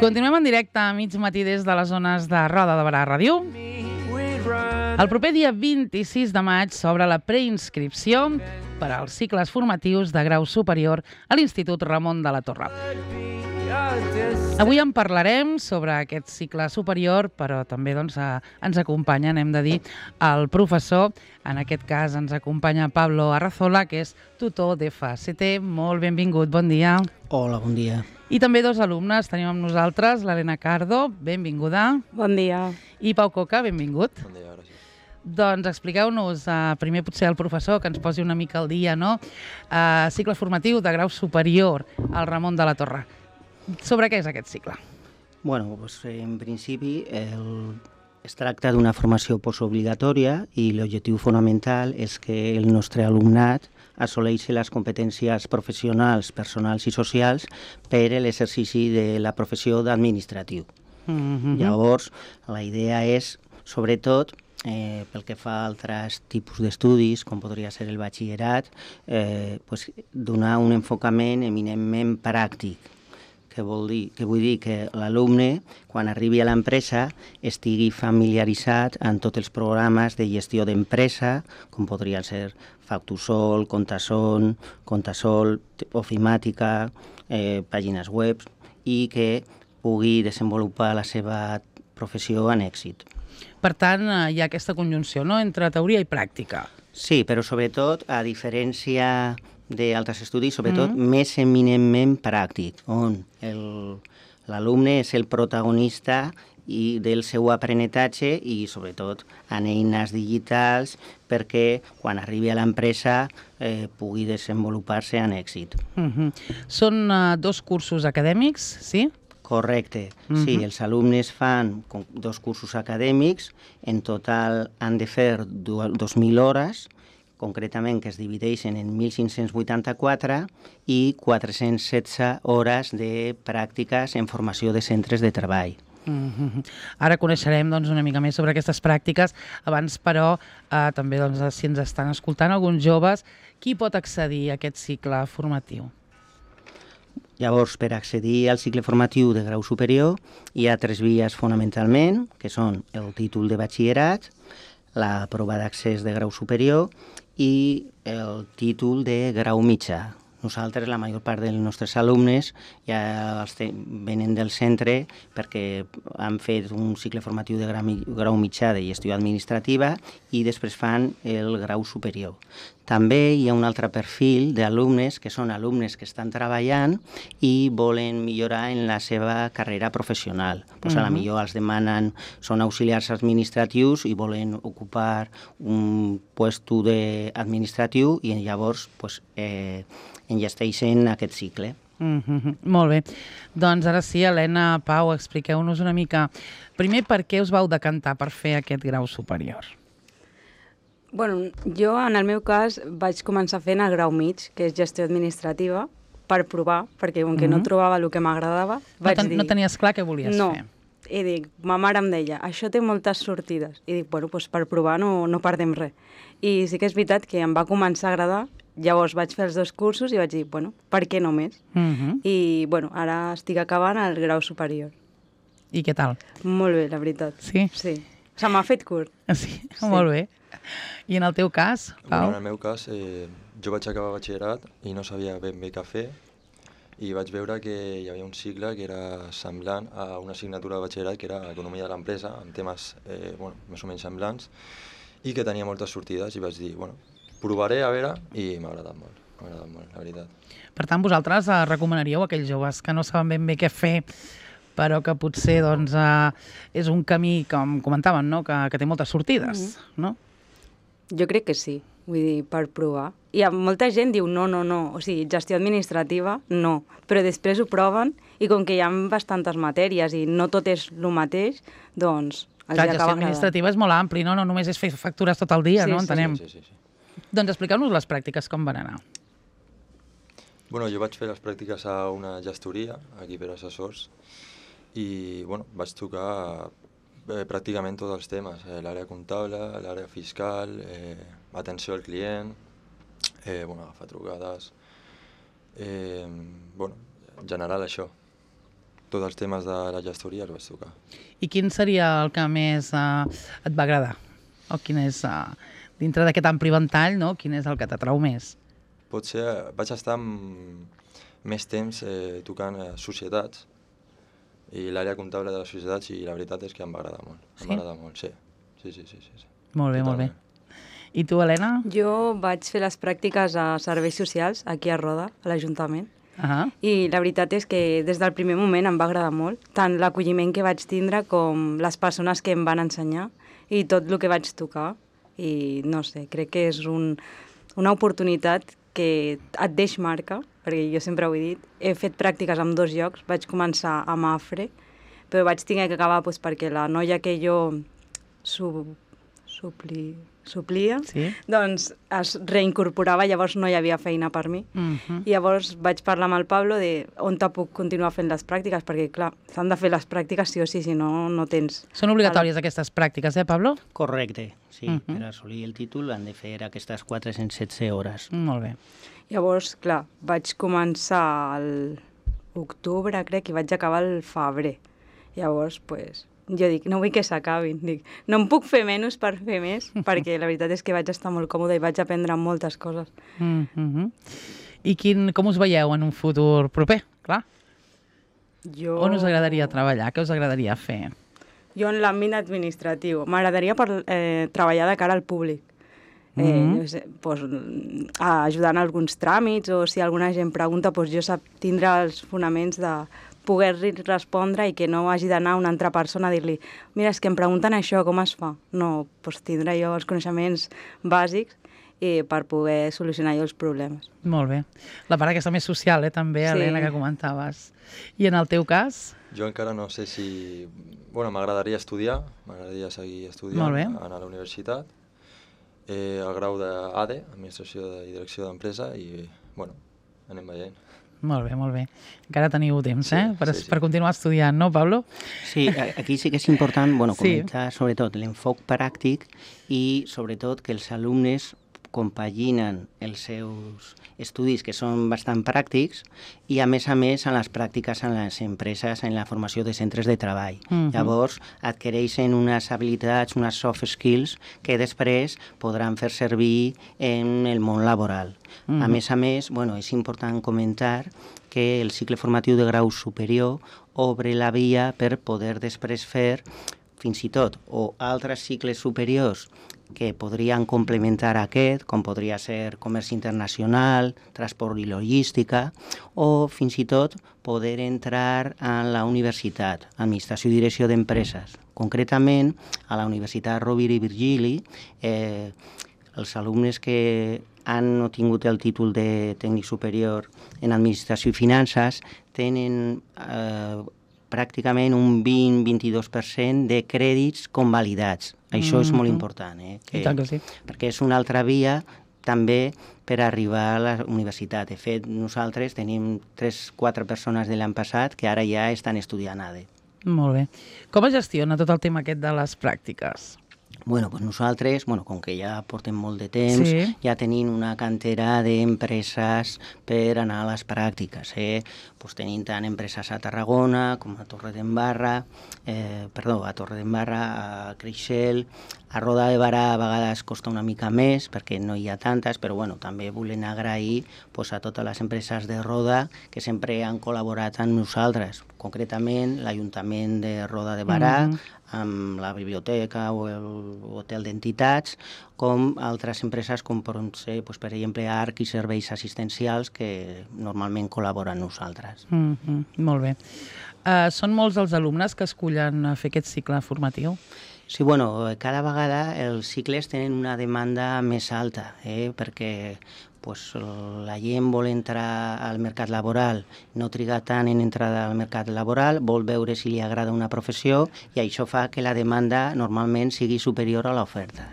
Continuem en directe a mig matí des de les zones de Roda de Barà Ràdio. El proper dia 26 de maig s'obre la preinscripció per als cicles formatius de grau superior a l'Institut Ramon de la Torre. Avui en parlarem sobre aquest cicle superior, però també ens acompanya, hem de dir, el professor. En aquest cas ens acompanya Pablo Arrazola, que és tutor d'FACT. Molt benvingut, bon dia. Hola, bon dia. I també dos alumnes tenim amb nosaltres, l'Helena Cardo, benvinguda. Bon dia. I Pau Coca, benvingut. Bon dia, gràcies. Doncs expliqueu-nos, primer potser el professor, que ens posi una mica al dia, no? Cicle formatiu de grau superior al Ramon de la Torre. Sobre què és aquest cicle? Bueno, doncs, en principi es tracta d'una formació postobligatòria i l'objectiu fonamental és que el nostre alumnat assoleixi les competències professionals, personals i socials per a l'exercici de la professió d'administratiu. Llavors, la idea és, sobretot, pel que fa a altres tipus d'estudis, com podria ser el batxillerat, donar un enfocament eminentment pràctic, que vull dir que l'alumne, quan arribi a l'empresa, estigui familiaritzat amb tots els programes de gestió d'empresa, com podrien ser Factusol, Contasol, Ofimàtica, pàgines web, i que pugui desenvolupar la seva professió amb èxit. Per tant, hi ha aquesta conjunció, no?, entre teoria i pràctica. Sí, però sobretot, a diferència d'altres estudis, sobretot més eminentment pràctic, on l'alumne és el protagonista del seu aprenentatge i, sobretot, en eines digitals perquè, quan arribi a l'empresa, pugui desenvolupar-se amb èxit. Són dos cursos acadèmics, sí? Correcte. Sí, els alumnes fan dos cursos acadèmics, en total han de fer 2.000 hores, concretament que es divideixen en 1.584 i 416 hores de pràctiques en formació de centres de treball. Ara coneixerem una mica més sobre aquestes pràctiques. Abans, però, també si ens estan escoltant alguns joves, qui pot accedir a aquest cicle formatiu? Llavors, per accedir al cicle formatiu de grau superior hi ha 3 vies fonamentalment, que són el títol de batxillerat, la prova d'accés de grau superior i el títol de grau mitjà. Nosaltres, la major part dels nostres alumnes ja venen del centre perquè han fet un cicle formatiu de grau mitjà de gestió administrativa i després fan el grau superior. També hi ha un altre perfil d'alumnes que són alumnes que estan treballant i volen millorar en la seva carrera professional. A la millor els demanen, són auxiliars administratius i volen ocupar un puesto administratiu i llavors enllesteixen aquest cicle. Molt bé. Doncs ara sí, Helena, Pau, expliqueu-nos una mica. Primer, per què us vau decantar per fer aquest grau superior? Bueno, jo, en el meu cas, vaig començar fent el grau mig, que és gestió administrativa, per provar, perquè com que no trobava el que m'agradava, vaig dir... No tenies clar què volies fer? No, i dic, ma mare em deia, això té moltes sortides. I dic, bueno, doncs per provar no perdem res. I sí que és veritat que em va començar a agradar. Llavors vaig fer els 2 cursos i vaig dir, bueno, per què no més? I, bueno, ara estic acabant el grau superior. I què tal? Molt bé, la veritat. Sí? Sí. Se m'ha fet curt. Sí, molt bé. I en el teu cas, Pau? En el meu cas, jo vaig acabar batxillerat i no sabia ben bé què fer i vaig veure que hi havia un cicle que era semblant a una assignatura de batxillerat que era Economia de l'Empresa, amb temes més o menys semblants i que tenia moltes sortides i vaig dir, bueno, provaré a veure i m'ha agradat molt, la veritat. Per tant, vosaltres recomanaríeu a aquells joves que no saben ben bé què fer, però que potser és un camí, com comentaven, no? que té moltes sortides, no? Jo crec que sí, vull dir, per provar. I molta gent diu no, o sigui, gestió administrativa, no, però després ho proven i com que hi ha bastantes matèries i no tot és el mateix, doncs els Clar, acaba gestió administrativa és molt ampli, no? No només és fer factures tot el dia, Sí, no? Entenem. Sí. Doncs expliqueu-nos les pràctiques com van anar. Bueno, jo vaig fer les pràctiques a una gestoria, aquí per assessors, i vaig tocar pràcticament tots els temes, l'àrea comptable, l'àrea fiscal, atenció al client, agafar trucades, en general això. tots els temes de la gestoria els vaig tocar. I quin seria el que més et va agradar? O quin és, dintre d'aquest ampli ventall, no? Quin és el que t'atrau més? Potser vaig estar més temps tocant societats i l'àrea comptable de les societats i la veritat és que em va agradar molt. Sí? Em va agradar molt, sí. Sí. Molt bé, Totalment. molt bé. I tu, Helena? Jo vaig fer les pràctiques a serveis socials aquí a Roda, a l'Ajuntament. I la veritat és que des del primer moment em va agradar molt, tant l'acolliment que vaig tindre com les persones que em van ensenyar i tot el que vaig tocar. I no sé, crec que és una oportunitat que et deix marca, perquè jo sempre ho he dit, he fet pràctiques en 2 llocs, vaig començar a Mafre, però vaig tenir que acabar perquè la noia que jo suplia, Sí? doncs es reincorporava, llavors no hi havia feina per mi. I llavors vaig parlar amb el Pablo de on te puc continuar fent les pràctiques, perquè clar, s'han de fer les pràctiques sí o sí, si no, no tens... Són obligatòries aquestes pràctiques, Pablo? Correcte, sí. Per assolir el títol han de fer aquestes 416 hores. Molt bé. Llavors, clar, vaig començar l'octubre, crec, i vaig acabar el febrer. Llavors, pues, jo dic, no vull que s'acabin. Dic, no em puc fer menys per fer més, perquè la veritat és que vaig estar molt còmoda i vaig aprendre moltes coses. I com us veieu en un futur proper? Clar. On us agradaria treballar? Què us agradaria fer? Jo en l'àmbit administratiu. M'agradaria treballar de cara al públic. No sé, ajudant a alguns tràmits, o si alguna gent pregunta, jo sap tindre els fonaments de poder respondre i que no hagi d'anar una altra persona a dir-li mira, és que em pregunten això, com es fa? No, tindre jo els coneixements bàsics per poder solucionar jo els problemes. Molt bé. La part aquesta més social, també, Sí. Helena, que comentaves. I en el teu cas? Jo encara no sé si... Bueno, m'agradaria estudiar, m'agradaria seguir estudiant, Molt bé. anar a la universitat, el grau d'ADE, Administració i Direcció d'Empresa, i, bueno, anem veient. Molt bé, molt bé. Encara teniu temps, Sí. per continuar estudiant, no, Pablo? Sí, aquí sí que és important Sí. comentar sobretot l'enfoc pràctic i sobretot que els alumnes compaginen els seus estudis, que són bastant pràctics, i a més en les pràctiques en les empreses, en la formació de centres de treball. Llavors adquireixen unes habilitats, unes soft skills que després podran fer servir en el món laboral. A més, és important comentar que el cicle formatiu de grau superior obre la via per poder després fer fins i tot o altres cicles superiors que podrien complementar aquest, com podria ser comerç internacional, transport i logística, o fins i tot poder entrar a la universitat, Administració i Direcció d'Empreses. Concretament, a la Universitat Rovira i Virgili, els alumnes que han obtingut el títol de tècnic superior en Administració i Finances tenen pràcticament un 20-22% de crèdits convalidats. Això és molt important, I tant que sí. perquè és una altra via també per arribar a la universitat. De fet, nosaltres tenim 3-4 persones de l'any passat que ara ja estan estudiant ADE. Molt bé. Com es gestiona tot el tema aquest de les pràctiques? Nosaltres, com que ja portem molt de temps, ja tenim una cantera d'empreses per anar a les pràctiques. Tenim tant empreses a Tarragona com a Torredembarra, a Creixell, a Roda de Barà a vegades costa una mica més perquè no hi ha tantes, però també volem agrair a totes les empreses de Roda que sempre han col·laborat amb nosaltres, concretament l'Ajuntament de Roda de Barà, amb la biblioteca o l'hotel d'entitats, com altres empreses com poden ser, per exemple, ARC i serveis assistencials que normalment col·laboren amb nosaltres. Molt bé. Són molts els alumnes que escullen fer aquest cicle formatiu? Sí, cada vegada els cicles tenen una demanda més alta, perquè la gent vol entrar al mercat laboral, no triga tant en entrar al mercat laboral, vol veure si li agrada una professió i això fa que la demanda normalment sigui superior a l'oferta.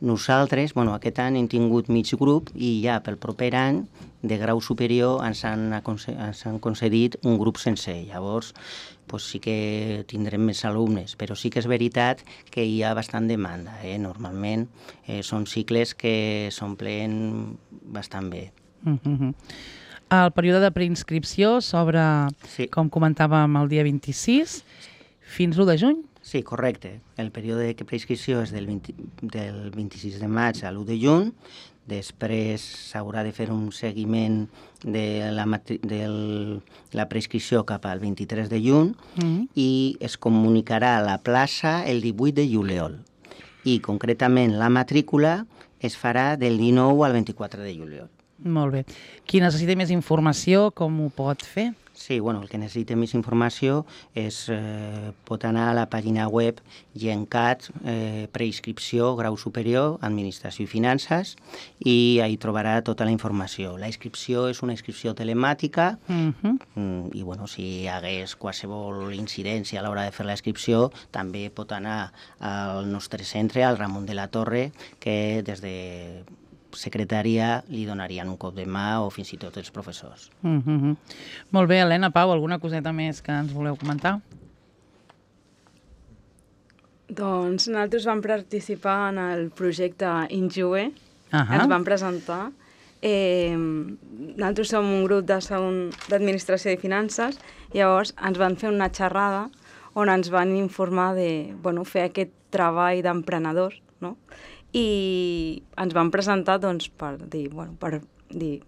Nosaltres, aquest any hem tingut mig grup i ja pel proper any de grau superior ens han concedit un grup sencer. Llavors, sí que tindrem més alumnes, però sí que és veritat que hi ha bastant demanda. Normalment són cicles que s'omplen bastant bé. El període de preinscripció s'obre, com comentàvem, el dia 26 fins l'1 de juny? Sí, correcte. El període de preinscripció és del 26 de maig a l'1 de juny. Després s'haurà de fer un seguiment de la preinscripció cap al 23 de juny i es comunicarà a la plaça el 18 de juliol. I concretament la matrícula es farà del 19 al 24 de juliol. Molt bé. Qui necessita més informació, com ho pot fer? Sí, bueno, el que necessita més informació pot anar a la pàgina web GenCat, preinscripció, grau superior, administració i finances, i ahí trobarà tota la informació. La inscripció és una inscripció telemàtica i, bueno, si hi hagués qualsevol incidència a l'hora de fer la inscripció, també pot anar al nostre centre, al Ramon de la Torre, que des de secretaria li donarien un cop de mà o fins i tot els professors. Molt bé, Helena, Pau, alguna coseta més que ens voleu comentar? Doncs nosaltres vam participar en el projecte Injue, ens vam presentar. Nosaltres som un grup d'administració i finances, llavors ens van fer una xerrada on ens van informar de fer aquest treball d'emprenedors, no? I ens van presentar per dir,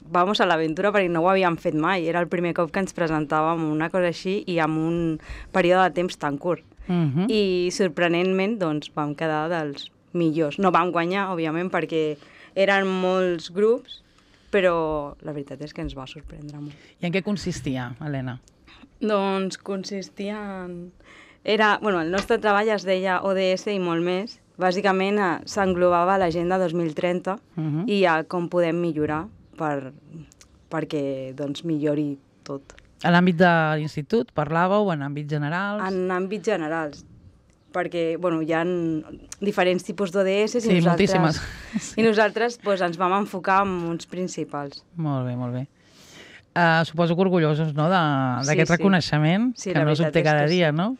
vamos a l'aventura, perquè no ho havíem fet mai. Era el primer cop que ens presentàvem una cosa així i amb un període de temps tan curt. I sorprenentment vam quedar dels millors. No vam guanyar, òbviament, perquè eren molts grups, però la veritat és que ens va sorprendre molt. I en què consistia, Helena? Doncs consistia en... el nostre treball es deia ODS i molt més. Bàsicament s'englobava l'agenda 2030 i com podem millorar perquè millori tot. A l'àmbit de l'institut parlàveu en àmbits generals? En àmbits generals, perquè hi ha diferents tipus d'ODS i moltíssimes. I nosaltres ens vam enfocar en uns principals. Molt bé, molt bé. Suposo que orgullosos, no?, d'aquest reconeixement, que no s'obté cada dia, no?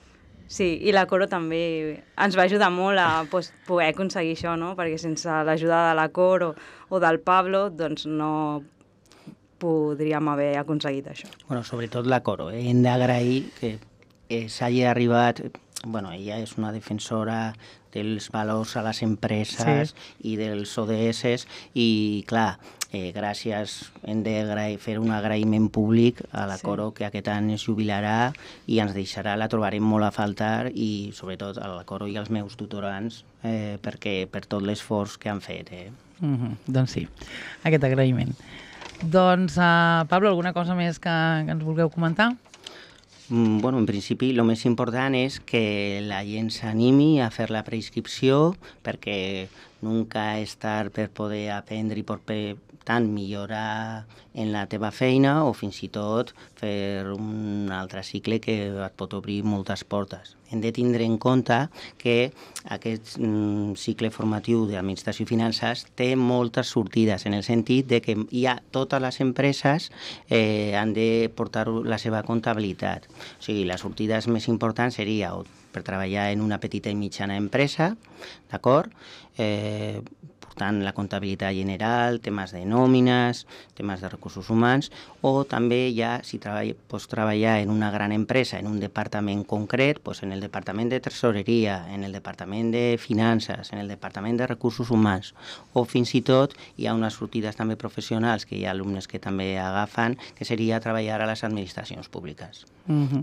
Sí, i la Coro també ens va ajudar molt a poder aconseguir això, no? Perquè sense l'ajuda de la Coro o del Pablo, no podríem haver aconseguit això. Bueno, sobretot la Coro. Hem d'agrair que s'hagi arribat... ella és una defensora dels valors a les empreses i dels ODS i, clar, gràcies, hem de fer un agraïment públic a la Coro, que aquest any es jubilarà i ens deixarà, la trobarem molt a faltar, i sobretot a la Coro i als meus tutorants per tot l'esforç que han fet. Doncs sí, aquest agraïment. Doncs, Pablo, alguna cosa més que ens vulgueu comentar? En principi, el més important és que la gent s'animi a fer la preinscripció, perquè nunca és tard per poder aprendre i per tant millorar en la teva feina o fins i tot fer un altre cicle que et pot obrir moltes portes. Hem de tindre en compte que aquest cicle formatiu d'administració i finances té moltes sortides, en el sentit de que totes les empreses han de portar la seva comptabilitat. O sigui, la sortida més important seria per treballar en una petita i mitjana empresa, d'acord? Portant la comptabilitat general, temes de nòmines, temes de recursos humans, o també si pots treballar en una gran empresa, en un departament concret, en el departament de tresoreria, en el departament de finances, en el departament de recursos humans, o fins i tot hi ha unes sortides també professionals que hi ha alumnes que també agafen, que seria treballar a les administracions públiques.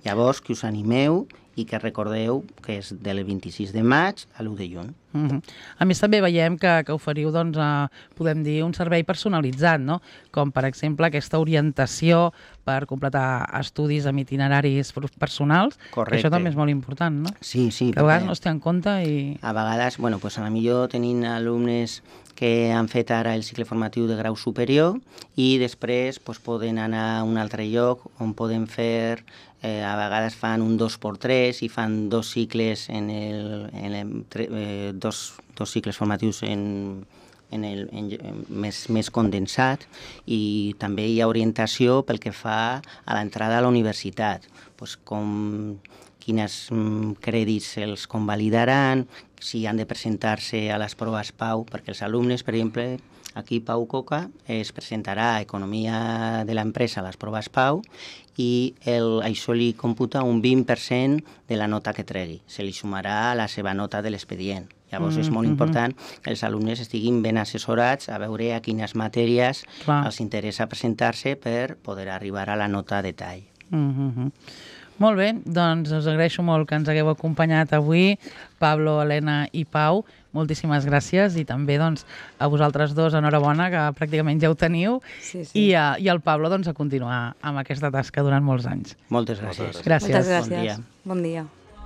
Llavors, que us animeu i que recordeu que és del 26 de maig a l'1 de juny. A més, també veiem que oferiu, podem dir, un servei personalitzat, no? Com, per exemple, aquesta orientació per completar estudis amb itineraris personals. Correcte. Això també és molt important, no? Sí. Que a vegades no es té en compte i... A vegades, a millor tenim alumnes que han fet ara el cicle formatiu de grau superior i després poden anar a un altre lloc on poden fer... a vegades fan un 2x3 i fan dos cicles dos cicles formatius més condensat, i també hi ha orientació pel que fa a l'entrada a la universitat, quins crèdits els convalidaran, si han de presentar-se a les proves PAU, perquè els alumnes, per exemple, Aquí Pau Coca es presentarà a Economia de l'empresa a les proves Pau i això li computa un 20% de la nota que tregui. Se li sumarà a la seva nota de l'expedient. Llavors és molt important que els alumnes estiguin ben assessorats a veure a quines matèries els interessa presentar-se per poder arribar a la nota de tall. Molt bé, doncs us agraeixo molt que ens hagueu acompanyat avui, Pablo, Helena i Pau. Moltíssimes gràcies i també doncs, a vosaltres dos enhorabona, que pràcticament ja ho teniu, i al Pablo doncs, a continuar amb aquesta tasca durant molts anys. Moltes gràcies. Gràcies. Moltes gràcies. Bon dia.